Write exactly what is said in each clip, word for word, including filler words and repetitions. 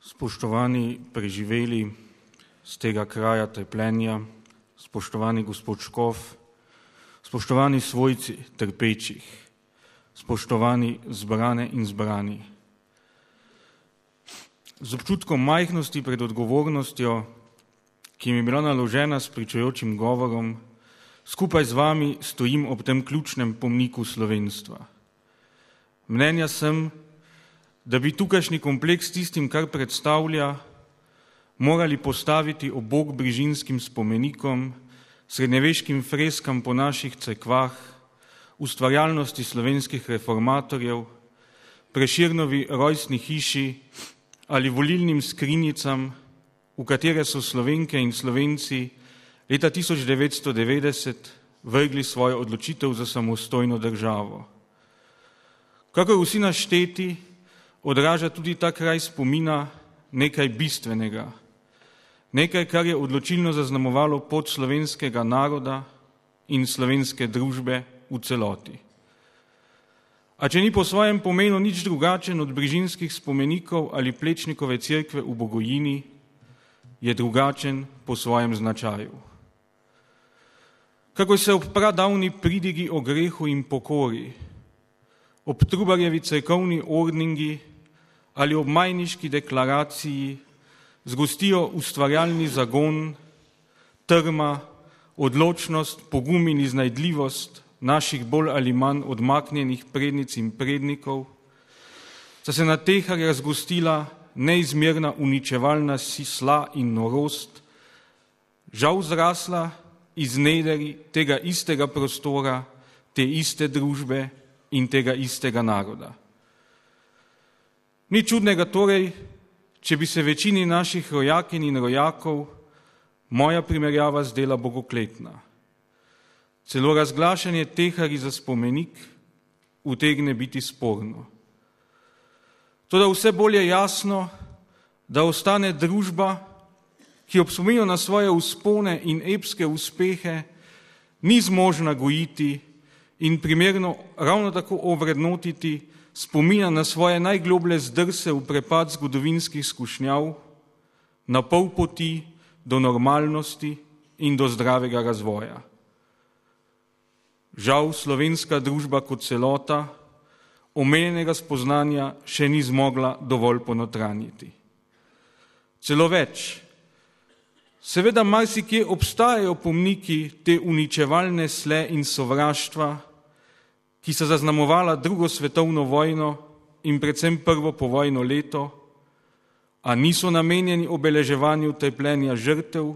Spoštovani preživeli z tega kraja trpljenja, spoštovani gospod Škof, spoštovani svojci trpečih, spoštovani zbrane in zbrani. Z občutkom majhnosti pred odgovornostjo, ki mi je bila naložena s pričujočim govorom, skupaj z vami stojim ob tem ključnem pomniku slovenstva. Mnenja sem, da bi tukajšnji kompleks tistim, kar predstavlja, morali postaviti ob bok brižinskim spomenikom, srednjeveškim freskam po naših cerkvah, ustvarjalnosti slovenskih reformatorjev, Prešernovi rojstni hiši ali volilnim skrinjicam, v katere so Slovenke in Slovenci leta tisoč devetsto devetdeset vrgli svojo odločitev za samostojno državo. Kakor vsi našteti, odraža tudi ta kraj spomina nekaj bistvenega, nekaj, kar je odločilno zaznamovalo pot slovenskega naroda in slovenske družbe v celoti. A če ni po svojem pomenu nič drugačen od brižinskih spomenikov ali Plečnikove cerkve v Bogojini, je drugačen po svojem značaju. Kakor se ob pradavni pridigi o grehu in pokori, ob Trubarjevi cerkovni ordningi ali ob Majniški deklaraciji zgostijo ustvarjalni zagon, trma, odločnost, pogum in iznajdljivost naših bolj ali manj odmaknjenih prednic in prednikov, sta se na teh razgostila neizmerna uničevalna sisla in norost, žal zrasla iz nederi tega istega prostora, te iste družbe in tega istega naroda. Ni čudnega torej, če bi se večini naših rojakinj in rojakov moja primerjava zdela bogokletna. Celo razglašanje tehari za spomenik utegne biti sporno. Toda vse bolj je jasno, da ostane družba, ki ob spominu na svoje vzpone in epske uspehe ni zmožna gojiti in primerno ravno tako ovrednotiti spomina na svoje najgloblje zdrse v prepad zgodovinskih skušnjav, na pol poti do normalnosti in do zdravega razvoja. Žal slovenska družba kot celota omenjenega spoznanja še ni zmogla dovolj ponotranjiti. Celo več, seveda marsikje obstajajo pomniki te uničevalne sle in sovraštva, ki so zaznamovala drugo svetovno vojno in predvsem prvo povojno leto, a niso namenjeni obeleževanju trpljenja žrtev,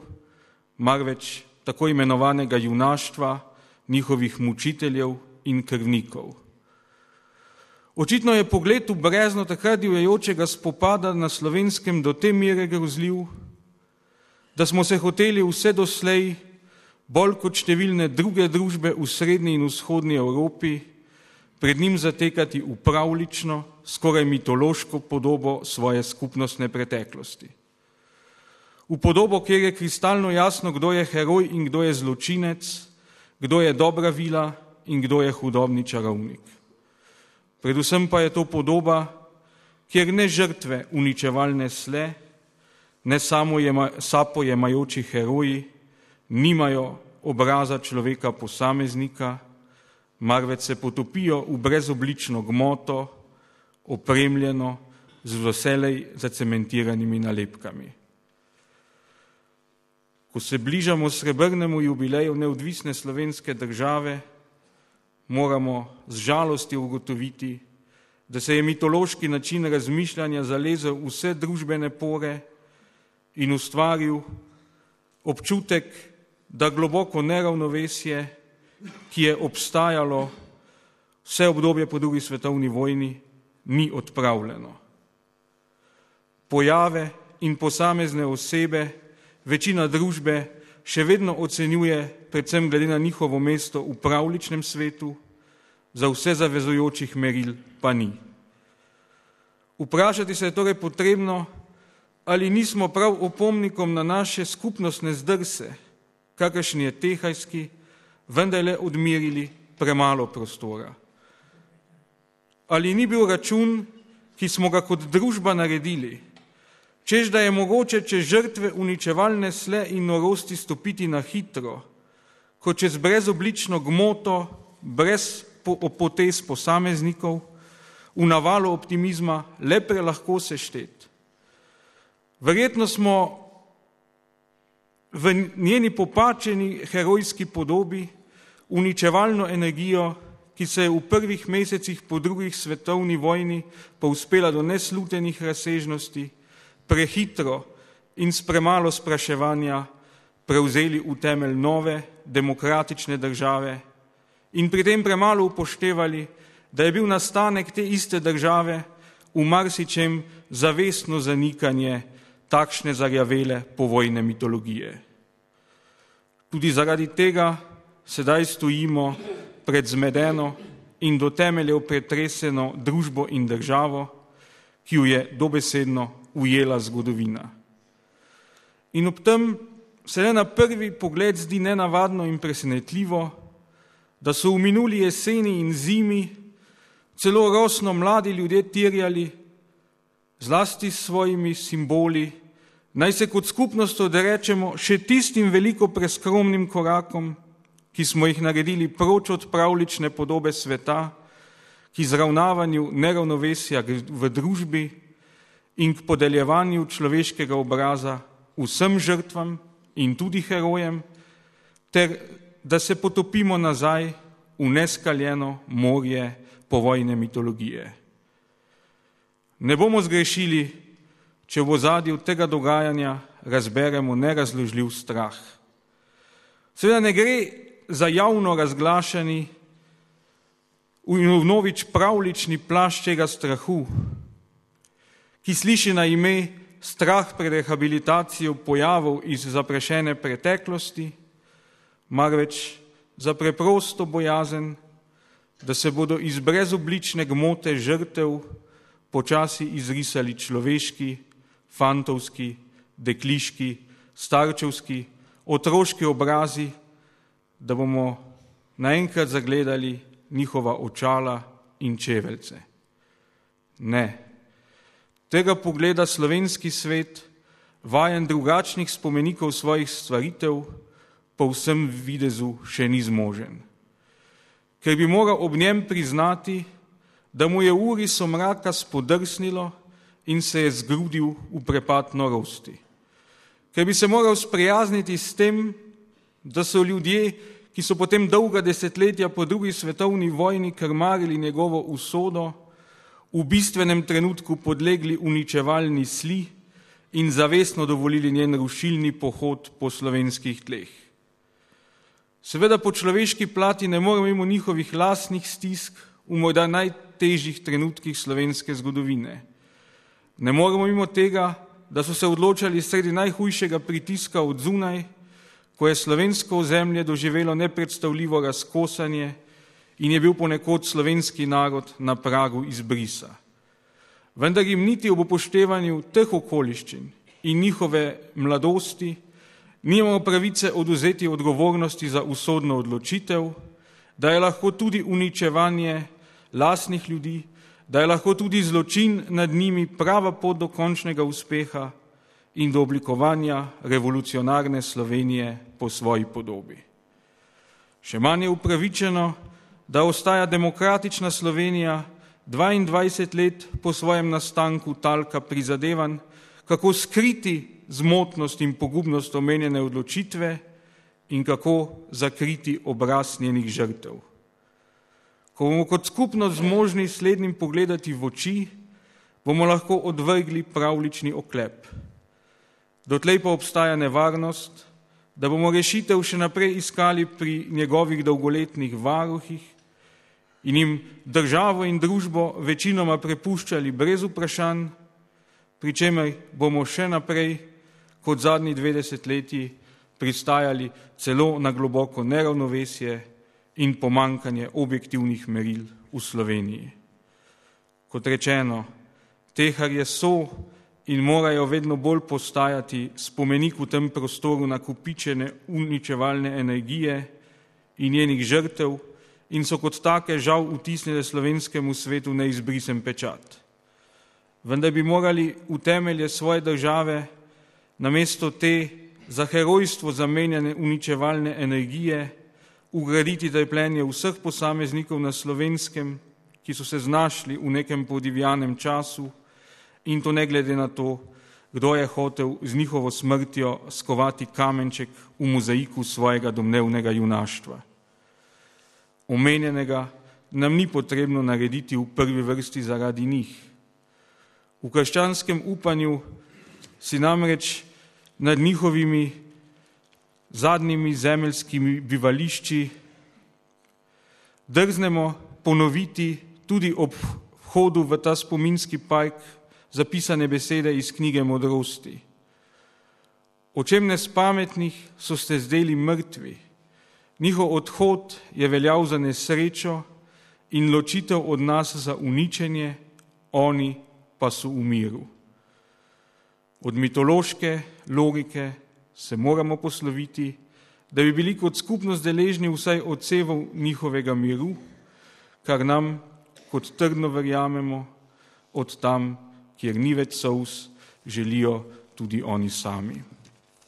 marveč tako imenovanega junaštva, njihovih mučiteljev in krvnikov. Očitno je pogled v brezno takrat divjajočega spopada na Slovenskem do te mere grozljiv, da smo se hoteli vse doslej, bolj kot številne druge družbe v srednji in vzhodni Evropi, pred njim zatekati v pravlično, skoraj mitološko podobo svoje skupnostne preteklosti. V podobo, kjer je kristalno jasno, kdo je heroj in kdo je zločinec, kdo je dobra vila in kdo je hudobni čarovnik. Predvsem pa je to podoba, kjer ne žrtve uničevalne sle, ne samo sapojemajoči heroji, nimajo obraza človeka posameznika, marveč se potopijo v brezoblično gmoto, opremljeno z vselej zacementiranimi nalepkami. Ko se bližamo srebrnemu jubileju neodvisne slovenske države, moramo z žalosti ugotoviti, da se je mitološki način razmišljanja zalezel v vse družbene pore in ustvaril občutek, da globoko neravnovesje, ki je obstajalo vse obdobje po drugi svetovni vojni, ni odpravljeno. Pojave in posamezne osebe večina družbe še vedno ocenjuje, predvsem glede na njihovo mesto v pravličnem svetu, za vse zavezujočih meril pa ni. Vprašati se je torej potrebno, ali nismo prav opomnikom na naše skupnostne zdrse, kakršni je tehajski, vendarle odmerili premalo prostora. Ali ni bil račun, ki smo ga kot družba naredili, čež da je mogoče čez žrtve uničevalne sle in norosti stopiti na hitro, kot čez brezoblično gmoto, brez potez posameznikov, v navalu optimizma le prelahko seštet. Verjetno smo v njeni popačeni herojski podobi uničevalno energijo, ki se je v prvih mesecih po drugih svetovni vojni povzpela do neslutenih razsežnosti, prehitro in s premalo spraševanja prevzeli v temelj nove demokratične države in pri tem premalo upoštevali, da je bil nastanek te iste države v marsičem zavestno zanikanje takšne zarjavele povojne mitologije. Tudi zaradi tega sedaj stojimo pred zmedeno in do temeljev pretreseno družbo in državo, ki jo je dobesedno ujela zgodovina. In ob tem se le na prvi pogled zdi nenavadno in presenetljivo, da so v minuli jeseni in zimi celo rosno mladi ljudje terjali, zlasti s svojimi simboli, naj se kot skupnost odrečemo še tistim veliko preskromnim korakom, ki smo jih naredili proč od pravlične podobe sveta, k izravnavanju neravnovesja v družbi in k podeljevanju človeškega obraza vsem žrtvam in tudi herojem, ter da se potopimo nazaj v neskaljeno morje povojne mitologije. Ne bomo zgrešili, če v ozadju tega dogajanja razberemo nerazložljiv strah. Seveda ne gre za javno razglašani in vnovič pravlični plašč tega strahu, ki sliši na ime strah pred rehabilitacijo pojavov iz zaprašene preteklosti, marveč za preprosto bojazen, da se bodo iz brezoblične gmote žrtev počasi izrisali človeški, fantovski, dekliški, starčevski, otroški obrazi, da bomo naenkrat zagledali njihova očala in čeveljce. Ne. Tega pogleda slovenski svet, vajen drugačnih spomenikov svojih stvaritev, po vsem videzu še ni zmožen. Ker bi moral ob njem priznati, da mu je uri somraka spodrsnilo in se je zgrudil v prepad norosti. Ker bi se moral sprijazniti s tem, da so ljudje, ki so potem dolga desetletja po drugi svetovni vojni krmarili njegovo usodo, v bistvenem trenutku podlegli uničevalni sli in zavestno dovolili njen rušilni pohod po slovenskih tleh. Seveda po človeški plati ne moremo mimo njihovih lastnih stisk v morda najtežjih trenutkih slovenske zgodovine. Ne moremo mimo tega, da so se odločali sredi najhujšega pritiska od zunaj, ko je slovensko ozemlje doživelo nepredstavljivo razkosanje in je bil ponekod slovenski narod na pragu izbrisa. Vendar jim niti ob upoštevanju teh okoliščin in njihove mladosti nimamo pravice odvzeti odgovornosti za usodno odločitev, da je lahko tudi uničevanje lastnih ljudi, da je lahko tudi zločin nad njimi prava pot do končnega uspeha in do oblikovanja revolucionarne Slovenije po svoji podobi. Še manj je upravičeno, da ostaja demokratična Slovenija dvaindvajset let po svojem nastanku talka prizadevanj, kako skriti zmotnost in pogubnost omenjene odločitve in kako zakriti obraz njenih žrtev. Ko bomo kot skupnost zmožni slednjim pogledati v oči, bomo lahko odvrgli pravlični oklep. Dotlej pa obstaja nevarnost, da bomo rešitev še naprej iskali pri njegovih dolgoletnih varuhih in jim državo in družbo večinoma prepuščali brez vprašanj, pri čemer bomo še naprej kot zadnji dve desetletji pristajali celo na globoko neravnovesje in pomankanje objektivnih meril v Sloveniji. Kot rečeno, teharje so in morajo vedno bolj postajati spomenik v tem prostoru nakupičene uničevalne energije in njenih žrtev in so kot take žal vtisnile slovenskemu svetu neizbrisen pečat. vendar bi morali v temelje svoje države namesto te za herojstvo zamenjane uničevalne energije ugraditi trpljenje vseh posameznikov na Slovenskem, ki so se znašli v nekem podivjanem času, in to ne glede na to, kdo je hotel z njihovo smrtjo skovati kamenček v mozaiku svojega domnevnega junaštva. Omenjenega nam ni potrebno narediti v prvi vrsti zaradi njih. V krščanskem upanju si namreč nad njihovimi zadnjimi zemeljskimi bivališči drznemo ponoviti tudi ob vhodu v ta spominski park zapisane besede iz knjige Modrosti. Očem nespametnih so ste zdeli mrtvi, njihov odhod je veljal za nesrečo in ločitev od nas za uničenje, oni pa so v miru. Od mitološke logike se moramo posloviti, da bi bili kot skupnost deležni vsaj odsevov njihovega miru, kar nam, kot trdno verjamemo, od tam, kjer ni več solz, želijo tudi oni sami.